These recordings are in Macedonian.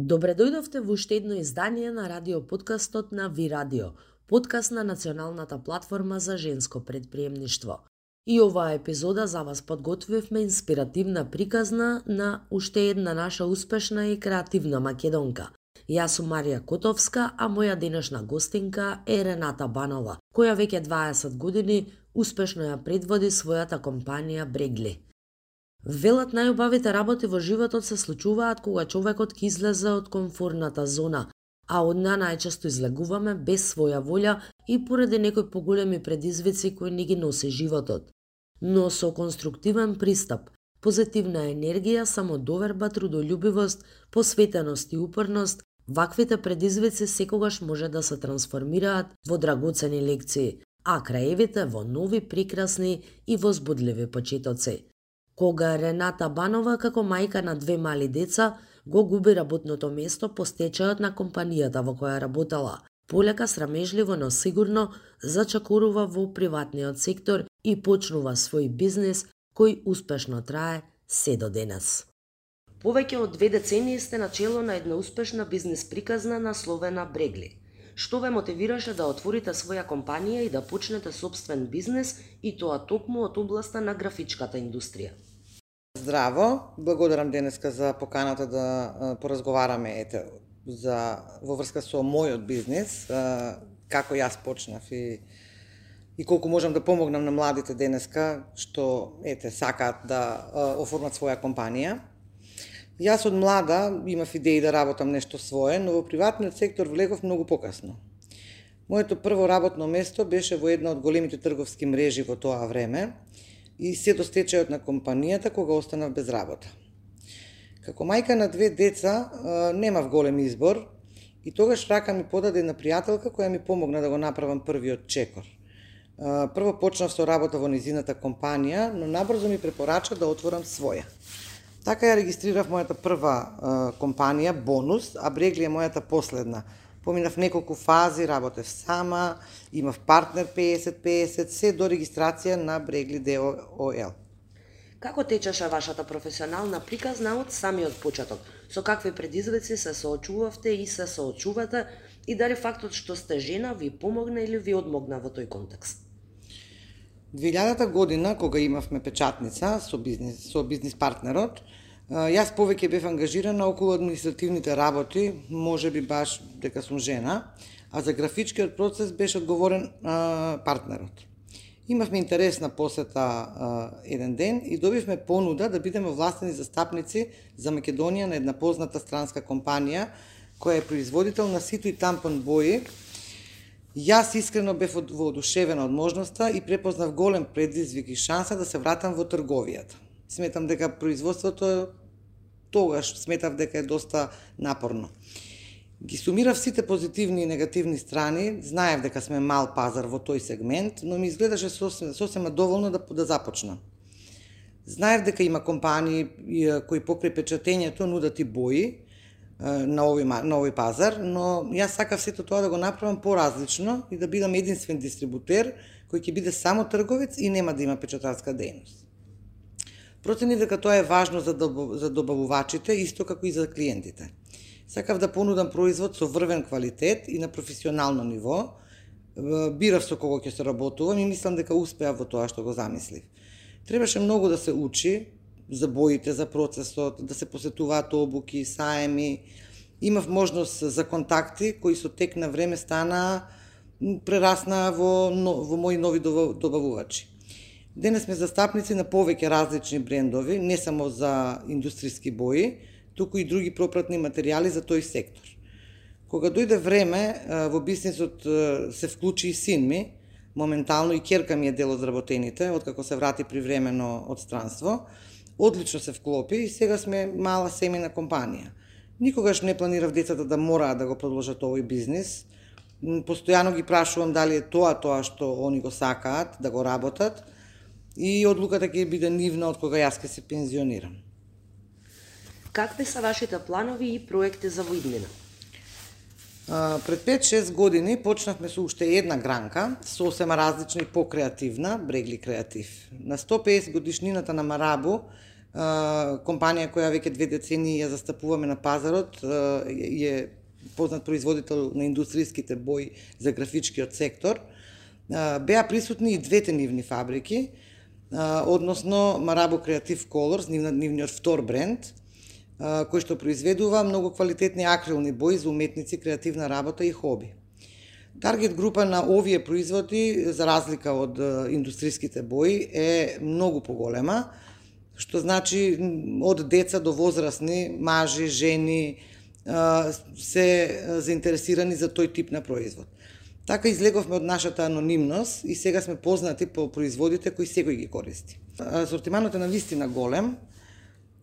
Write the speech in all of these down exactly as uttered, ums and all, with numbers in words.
Добре дојдовте во уште едно издание на радио подкастот на Ви Радио, подкаст на Националната платформа за женско предприемништво. И оваа епизода за вас подготвивме инспиративна приказна на уште една наша успешна и креативна македонка. Јас сум Марија Котовска, а моја денешна гостинка е Рената Банова, која веќе дваесет години успешно ја предводи својата компанија Брегли. Велат најубавите работи во животот се случуваат кога човекот ќе излезе од комфорната зона, а од неа најчесто излегуваме без своја волја и поради некои поголеми предизвици кои ни ги носи животот. Но со конструктивен пристап, позитивна енергија, самодоверба, трудолюбивост, посветеност и упорност, ваквите предизвици секогаш може да се трансформираат во драгоцени лекции, а краевите во нови, прекрасни и возбудливи почетоци. Кога Рената Банова, како мајка на две мали деца, го губи работното место по стечајот на компанијата во која работела, полека срамежливо, но сигурно зачекорува во приватниот сектор и почнува свој бизнис кој успешно трае се до денес. Повеќе од две децении сте на чело на една успешна бизнис приказна насловена Брегли. Што ве мотивираше да отворите своја компанија и да почнете собствен бизнис, и тоа токму од областа на графичката индустрија? Здраво, благодарам денеска за поканата да поразговараме ете за во врска со мојот бизнис, како јас почнав и и колку можам да помогнам на младите денеска што ете сакаат да оформат своја компанија. Јас од млада имав идеи да работам нешто свое, но во приватниот сектор влегов многу покасно. Моето прво работно место беше во една од големите трговски мрежи во тоа време и се до стечајот на компанијата кога останав без работа. Како мајка на две деца немав голем избор и тогаш рака ми подаде една пријателка која ми помогна да го направам првиот чекор. Прво почнав со работа во низината компанија, но набрзо ми препорача да отворам своја. Така ја регистрирав мојата прва компанија Бонус, а Брегли е мојата последна. Поминав неколку фази, работев сама, имав партнер песет песет, се до регистрација на Брегли ДООЛ. Како течеше вашата професионална приказна од самиот почеток? Со какви предизвици се соочувавте и се соочувате, и дали фактот што сте жена ви помогна или ви одмогна во тој контекст? две илјадата година, кога имавме печатница со бизнис, со бизнис партнерот, јас повеќе бев ангажирана околу административните работи, може би баш дека сум жена, а за графичкиот процес беше одговорен а, партнерот. Имавме интересна посета а, еден ден и добивме понуда да бидеме властени застапници за Македонија на една позната странска компанија која е производител на сито и тампон бои. Јас искрено бев воодушевена од можноста и препознав голем предизвик и шанса да се вратам во трговијата. Сметам дека производството тогаш сметав дека е доста напорно. Ги сумирав сите позитивни и негативни страни, знаев дека сме мал пазар во тој сегмент, но ми изгледаше сосема, сосема доволно да, да започнам. Знаев дека има компании кои покрај печатењето нудат и бои на овој, на овој пазар, но јас сакав сето тоа да го направам поразлично и да бидам единствен дистрибутер кој ќе биде само трговец и нема да има печатарска дејност. Проценив дека тоа е важно за, доб... за добавувачите, исто како и за клиентите. Сакав да понудам производ со врвен квалитет и на професионално ниво. Бирав со кого ќе се работувам и мислам дека успеав во тоа што го замислив. Требаше многу да се учи за боите, за процесот, да се посетуваат обуки, саеми. Имав можност за контакти кои со тек на време стана прерасна во, во мои нови добавувачи. Денес сме застапници на повеќе различни брендови, не само за индустријски бои, туку и други пропратни материјали за тој сектор. Кога дојде време, во бизнисот се вклучи и син ми, моментално и ќерка ми е дел од работените, откако се врати привремено од странство, одлично се вклопи и сега сме мала семејна компанија. Никогаш не планирав децата да мораат да го продолжат овој бизнис. Постојано ги прашувам дали е тоа тоа што они го сакаат, да го работат, и одлуката ќе биде нивна од кога јас ќе се пензионирам. Какви се вашите планови и проекти за воиднина? Пред пет-шест години почнавме со уште една гранка, сосема различна и покреативна, Брегли Креатив. На сто и песет годишнината на Марабу компанија која веќе две децении ја застапуваме на пазарот, е познат производител на индустријските бои за графичкиот сектор. Беа присутни и двете нивни фабрики, односно Marabo Creative Colors, нивниот втор бренд, кој што произведува многу квалитетни акрилни бои за уметници, креативна работа и хоби. Таргет група на овие производи, за разлика од индустријските бои, е многу поголема, што значи од деца до возрастни, мажи, жени, се заинтересирани за тој тип на производ. Така излеговме од нашата анонимност и сега сме познати по производите кои секој ги користи. Асортиманот е навистина голем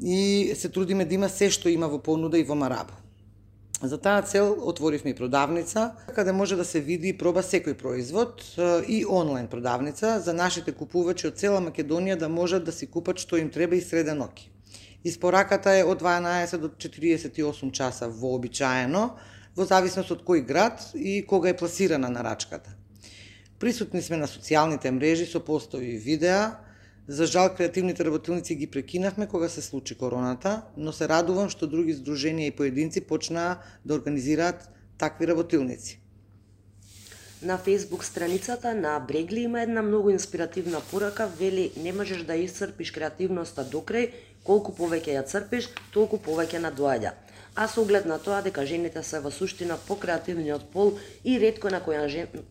и се трудиме да има се што има во понуда и во Marabo. За таа цел отворивме и продавница, каде може да се види и проба секој производ, и онлайн продавница за нашите купувачи од цела Македонија да можат да си купат што им треба и среда ноќ. Испораката е од дванаесет до четириесет и осум часа вообичаено, во зависност од кој град и кога е пласирана нарачката. Присутни сме на социјалните мрежи со постови и видеа. За жал, креативните работилници ги прекинавме кога се случи короната, но се радувам што други здруженија и поединци почнаа да организираат такви работилници. На Facebook страницата на Брегли има една многу инспиративна порака, вели: не можеш да исцрпиш креативноста до крај, колку повеќе ја црпиш, толку повеќе надоаѓа. А со оглед на тоа дека жените се во суштина покреативниот пол и ретко на која жена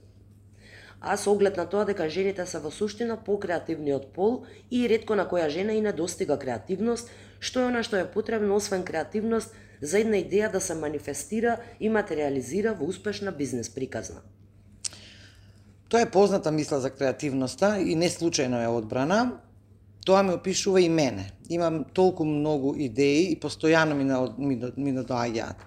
А со оглед на тоа дека жените се во суштина покреативниот пол и ретко на која жена и не достига креативност, што е она што е потребно освен креативност за една идеја да се манифестира и материализира во успешна бизнес приказна. Тоа е позната мисла за креативноста и не случајно е одбрана. Тоа ме опишува и мене. Имам толку многу идеи и постојано ми, ми, ми надоаѓаат.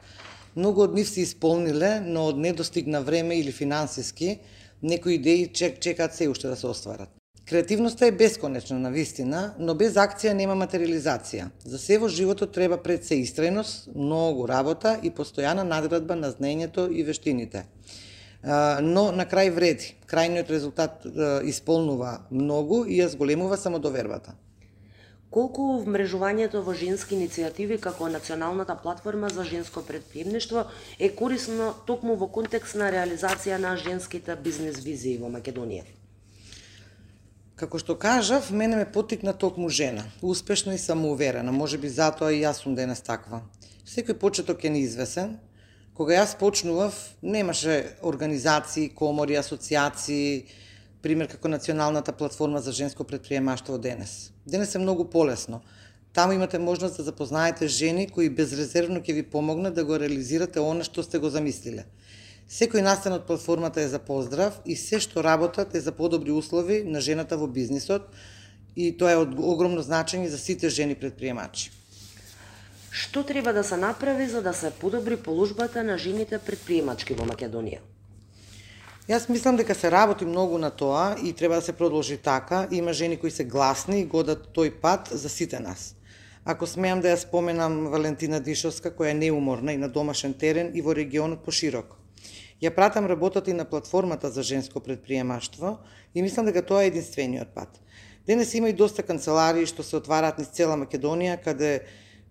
Многу од нив се исполниле, но од недостигна време или финансиски, некои идеи чек, чекаат се уште да се остварат. Креативноста е бесконечна навистина, но без акција нема материализација. За се во животот треба пред се истреност, многу работа и постојана надградба на знаењето и вештините. Но на крај вреди. Крајниот резултат исполнува многу и ја зголемува самодовербата. Колку вмрежувањето во женски иницијативи како националната платформа за женско предприемништво е корисно токму во контекст на реализација на женските бизнес визии во Македонија? Како што кажав, мене ме поттикна токму жена, успешна и самоуверена, можеби затоа и јас сум денес таква. Секој почеток е неизвесен. Кога јас почнував, немаше организации, комори, асоциации, пример како Националната платформа за женско предприемаштво денес. Денес е многу полесно. Таму имате можност да запознаете жени кои безрезервно ќе ви помогнат да го реализирате она што сте го замислиле. Секој настан од платформата е за поздрав и се што работат е за подобри услови на жената во бизнисот и тоа е од огромно значење за сите жени предприемачи. Што треба да се направи за да се подобри положбата на жените предприемачки во Македонија? Јас мислам дека се работи многу на тоа и треба да се продолжи така. Има жени кои се гласни и годат тој пат за сите нас. Ако смеам да ја споменам Валентина Дишовска, која е неуморна и на домашен терен и во регионот пошироко. Ја пратам работата и на платформата за женско предприемаштво и мислам дека тоа е единствениот пат. Денес има и доста канцеларии што се отвараат низ цела Македонија, каде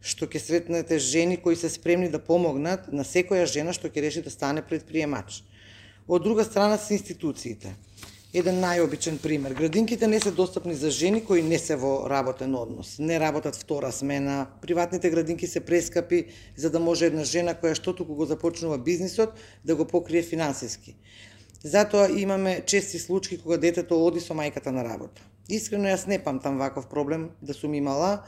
што ќе сретнете жени кои се спремни да помогнат на секоја жена што ќе реши да стане предприемач. Од друга страна се институциите. Еден најобичен пример. Градинките не се достапни за жени кои не се во работен однос. Не работат втора смена. Приватните градинки се прескапи за да може една жена која што туку го започнува бизнисот да го покрие финансиски. Затоа имаме чести случаи кога детето оди со мајката на работа. Искрено јас не памтам ваков проблем да сум имала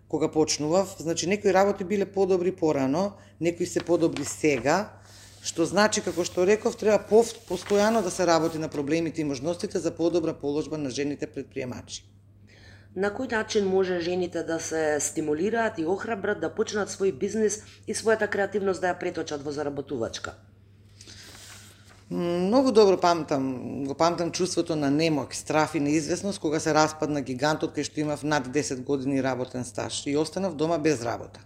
кога почнував. Значи некои работи биле подобри порано, некои се подобри сега. Што значи, како што реков, треба постојано да се работи на проблемите и можностите за подобра положба на жените предприемачи. На кој начин може жените да се стимулираат и охрабрат да почнат свој бизнис и својата креативност да ја преточат во заработувачка? Многу добро памтам, го памтам чувството на немок, страф и неизвестност кога се распадна гигантот кај што имав над десет години работен стаж и останав дома без работа.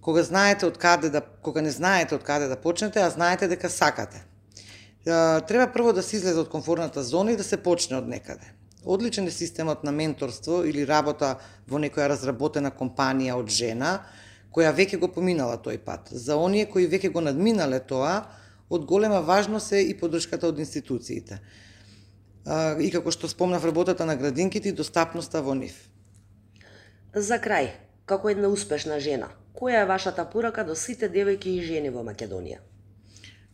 Кога знаете од каде да кога не знаете од каде да почнете, а знаете дека сакате. Треба прво да се излезе од комфортната зона и да се почне од некаде. Одличен е системот на менторство или работа во некоја разработена компанија од жена, која веќе го поминала тој пат. За оние кои веќе го надминале тоа, од голема важност е и поддршката од институциите. И како што спомнав, работата на градинките и достапноста во нив. За крај, како една успешна жена, која е вашата порака до сите девојки и жени во Македонија?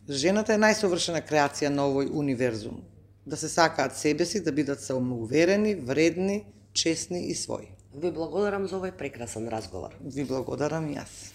Жената е најсовршена креација на овој универзум. Да се сакаат себе си, да бидат самоуверени, вредни, честни и своји. Ви благодарам за овој прекрасен разговор. Ви благодарам и јас.